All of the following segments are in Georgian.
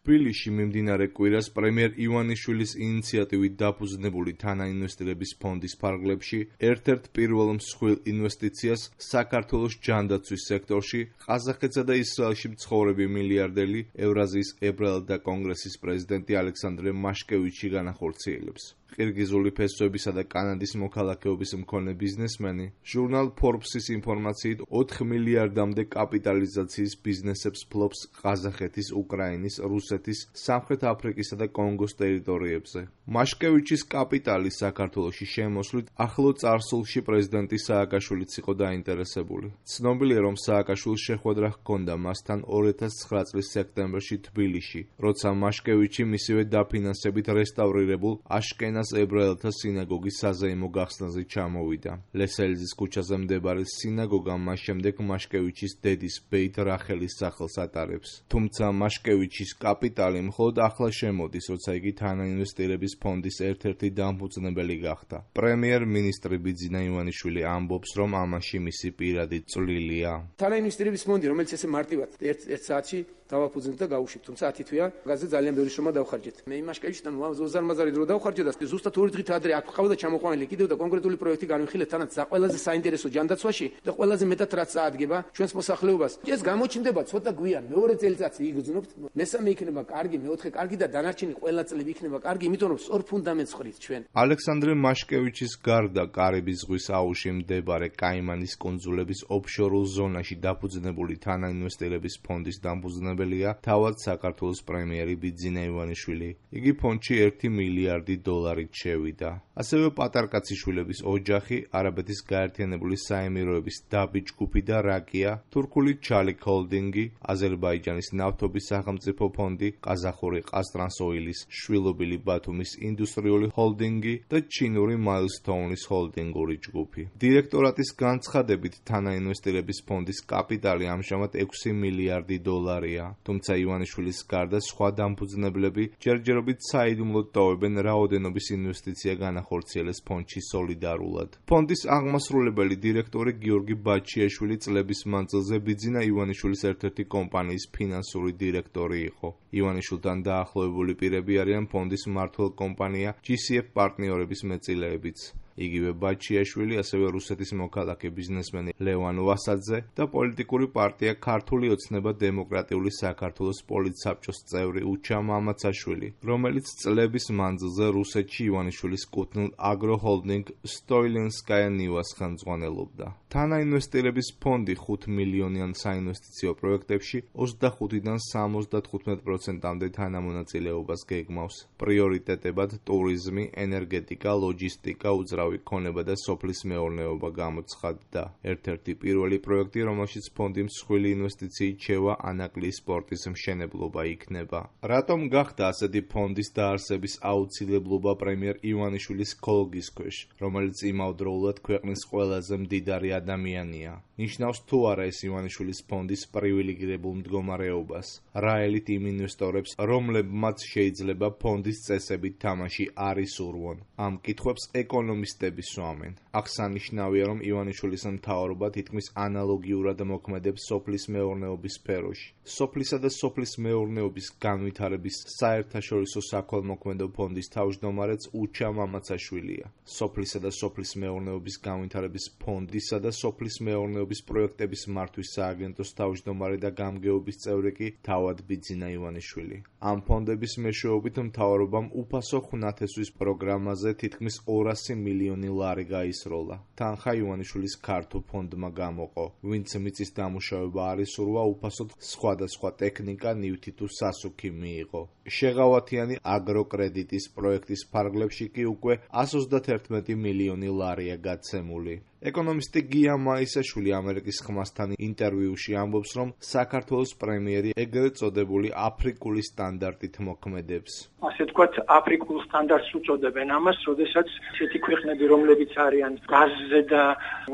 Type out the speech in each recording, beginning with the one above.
თბილისში მიმდინარე კვირას პრემიერ ივანიშვილის ინიციატივით დაფუძნებული თანაინვესტირების ფონდის ფარგლებში ერთ-ერთ პირველ მსხვილ ინვესტიციას საქართველოს ჯანდაცვის სექტორში ყაზახეთსა და ისრაელში მცხოვრები მილიარდელი ევრაზიის ებრაელთა კონგრესის პრეზიდენტი ალექსანდრე მაშკევიჩი განახორციელებს. ყირგიზული ფესვებისა და კანადის მოქალაქეობის მქონე ბიზნესმენი ჟურნალ Forbes-ის ინფორმაციით 4 მილიარდამდე კაპიტალიზაციის ბიზნესებს ფლობს ყაზახეთის, უკრაინის, რუსეთის, სამხრეთ აფრიკისა და კონგოს ტერიტორიებზე. მაშკევიჩის კაპიტალი საქართველოში შემოსვლით ახლო წარსულში პრეზიდენტი სააკაშვილიც იყო დაინტერესებული. ცნობილია, რომ სააკაშვილს შეხვედრა ჰქონდა მასთან 2009 წლის სექტემბერში თბილისში, როცა მაშკევიჩი მისივე დაფინანსებით რესტავრირებულ აშკენას ებრაელთა სინაგოგის საზეიმო გახსნაზე ჩამოვიდა. ლესელიძის ქუჩაზე მდებარე სინაგოგა მას შემდეგ მაშკევიჩის დედის ბეით რახელის სახელს ატარებს. თუმცა მაშკევიჩის კაპიტალი მხოლოდ ახლა შემოდის, როცა იგი თანაინვესტირების ფონდის ერთ-ერთი დამფუძნებელი გახდა. პრემიერ-მინისტრი ბიძინა ივანიშვილი ამბობს, რომ ამაში მისი პირადი წვლილია. თანაინვესტირების ფონდი, რომელიც ესე მარტივად ერთ საათში დავაფუძნეთ და გავუშვით, თუმცა 10 თვეა გაზზე ძალიან ბევრი შრომა დავხარჯეთ. მე მაშკევიჩთან უზარმაზარი დრო დავხარჯე და ზუსტად 2 დღით ადრე აქ ყავდა ჩამოყვანილი კიდევ და კონკრეტული პროექტი განვიხილეთ თანაც ყველაზე საინტერესო ჯანდაცვაში და ყველაზე მეტად რაც წაადგება ჩვენს მოსახლეობას. ეს გამოჩნდება ცოტა გვიან, მეორე წელიწადში იგრძნობთ, მესამე იქნება კარგი, მეოთხე კარგი და დანარჩენი ყველა წლები იქნება კარგი, იმიტომ რომ სწორ ფუნდამენტს ხრით ჩვენ. ალექსანდრე მაშკევიჩის გარდა კარიბის ზღვის აუზში მდებარე კაიმანის კუნძულების ოფშორულ ზონაში დაფუძნებული თანაინვესტირების ფონდის დამფუძნებელია თავად საქართველოს პრემიერი ბიძინა ივანიშვილი. იგი ფონდში 1 მილიარდი დოლარით შევიდა. ასევე პატარკაციშვილების ოჯახი, არაბეთის გაერთიანებული საემიროების დაბი ჯგუფი და რაკია, თურქული ჩალიქ ჰოლდინგი, აზერბაიჯანის ნავთობის სახელმწიფო ფონდი, ყაზახური ყაზტრანსოილის, შვილობილი ბათუმის ინდუსტრიული ჰოლდინგი და ჩინური მაილსტოუნის ჰოლდინგური ჯგუფი. დირექტორატის განცხადებით თანაინვესტირების ფონდის კაპიტალი ამჟამად 6 მილიარდი დოლარია. თუმცა ივანიშვილის გარდა სხვა დამფუძნებლები ჯერჯერობით საიდუმლოდ ტოვებენ რაოდენობის ინვესტიცია განახორციელეს ფონდში სოლიდარულად. ფონდის აღმასრულებელი დირექტორი გიორგი ბაჩიაშვილი წლების მანძილზე ბიძინა ივანიშვილის ერთ-ერთი კომპანიის ფინანსური დირექტორი იყო. ივანიშვილთან დაახლოებული პირები არიან ფონდის მმართველ კომპანია GCF პარტნიორების მეწილეებიც. იგივე ბაჩიაშვილი, ასევე რუსეთის მოქალაქე ბიზნესმენი ლევან ვასაძე და პოლიტიკური პარტია ქართული ოცნება დემოკრატიული საქართველოს პოლიტსაბჭოს წევრი უჩა მამაცაშვილი, რომელიც წლების მანძილზე რუსეთში ივანიშვილის კუთვნილ აგროჰოლდინგ სტოილენსკაია ნივას ხელმძღვანელობდა. თანაინვესტირების ფონდი 5 მილიონიან საინვესტიციო პროექტებში 25-დან 75%-მდე თანამონაწილეობას გეგმავს. პრიორიტეტებად ტურიზმი, ენერგეტიკა, ლოჯისტიკა, უძრავი ქონება და სოფლის მეურნეობა გამოცხადდა. ერთ-ერთი პირველი პროექტი, რომელშიც ფონდი მსხვილი ინვესტიციით შევა ანაკლიის სპორტის მშენებლობა იქნება. რატომ გახდა ასეთი ფონდის დაარსების აუცილებლობა პრემიერ ივანიშვილის ქოლგის ქვეშ, რომელიც იმავდროულად ქვეყნის ყველაზე მდიდარი ადამიანია? ნიშნავს თუ არა ეს ივანიშვილის ფონდის პრივილეგირებულ მდგომარეობას? რა ელით იმ ინვესტორებს, რომლებმაც შეიძლება ფონდის წესებით თამაში არ ისურვონ? ამ კითხვებს ეკონომისტები სვამენ. აღსანიშნავია, რომ ივანიშვილის მთავრობა თითქმის ანალოგიურად მოქმედებს სოფლის მეურნეობის სფეროში. სოფლისა და სოფლის მეურნეობის განვითარების საერთაშორისო საქველმოქმედო ფონდის თავმჯდომარეც უჩა მამაცაშვილია. სოფლისა და სოფლის მეურნეობის განვითარების ფონდისა და სოფლის მეურნეობის პროექტების მართვის სააგენტოს თავმჯდომარე და გამგეობის წევრი კი თავად ბიძინა ივანიშვილი. ამ ფონდების მეშვეობით მთავრობამ უფასო ხუნათესვის პროგრამაზე თითქმის 200 მილიონი ლარი გაისროლა. თანხა ივანიშვილის ქართო ფონდმა გამოყო, ვინც მიწის დამუშავება არ ისურვა, უფასოდ სხვადასხვა ტექნიკა, ნივთი თუ სასუქი მიიღო. შეღავათიანი აგროკრედიტის პროექტის ფარგლებში კი უკვე 131 მილიონი ლარია გაცემული. ეკონომისტი გია მაისაშვილი ამერიკის ხმასთან ინტერვიუში ამბობს, რომ საქართველოს პრემიერი ეგრეთ წოდებული აფრიკული სტანდარტით მოქმედებს. ასე თქვათ, აფრიკულ სტანდარტს უწოდებენ ამას, როდესაც ისეთი ქვეყნები, რომლებიც არიან გაზზე და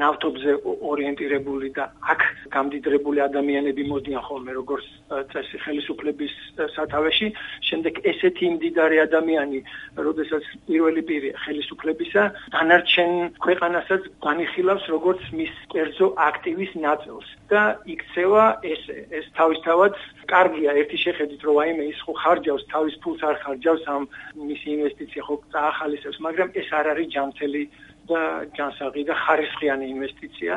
ნავთობზე ორიენტირებული და აქ გამდიდრებული ადამიანები მოდიან ხოლმე როგორც წესი ხელისუფლების სათავეში, შემდეგ ესეთი მდიდარი ადამიანი, როდესაც პირველი პირი ხელისუფლებისა, დანარჩენ ქვეყანასაც განიხილავს განიხილავს როგორც მის კერძო აქტივის ნაწილს და იქცევა ეს თავისთავად კარგია ერთი შეხედვით რომ აიმე ის ხო ხარჯავს თავის ფულს არ ხარჯავს ამ მისი ინვესტიცია ხო წაახალისებს მაგრამ ეს არ არის ჯანმრთელი და ჯანსაღი და ხარისხიანი ინვესტიცია.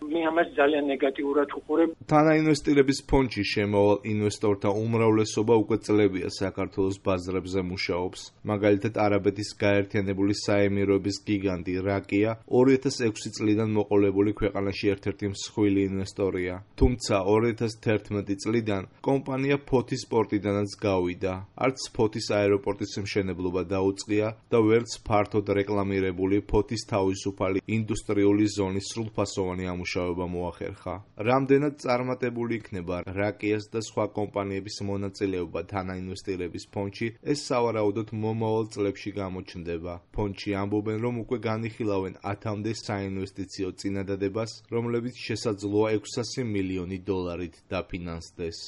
მე ამას ძალიან ნეგატიურად უყურებ. თანაინვესტირების ფონდში შემავალ ინვესტორთა უმრავლესობა უკვე წლებია საქართველოს ბაზრებზე მუშაობს. მაგალითად, არაბეთის გაერთიანებული საემიროების გიგანტი რაკია 2006 წლიდან მოყოლებული ქვეყანაში ერთ-ერთი მსხვილი ინვესტორია. თუმცა 2011 წლიდან კომპანია ფოთის პორტიდანაც გავიდა. არც ფოთის აეროპორტის მშენებლობა დაუწყია და ვერც ფართოდ რეკლამირებული ფოთის თავისუფალი ინდუსტრიული ზონის სრულფასოვანი ამუშავება მოახერხა. რამდენად წარმატებული იქნება რაკიას და სხვა კომპანიების მონაწილეობა თანაინვესტირების ფონდში, ეს სავარაუდოდ მომავალ წლებში გამოჩნდება. ფონდში ამბობენ, რომ უკვე განიხილავენ 1000-მდე საინვესტიციო წინადადებას, რომლებიც შესაძლოა 600 მილიონი დოლარით დაფინანსდეს.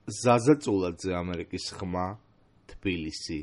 ზაზა წულაძე, ამერიკის ხმა, თბილისი.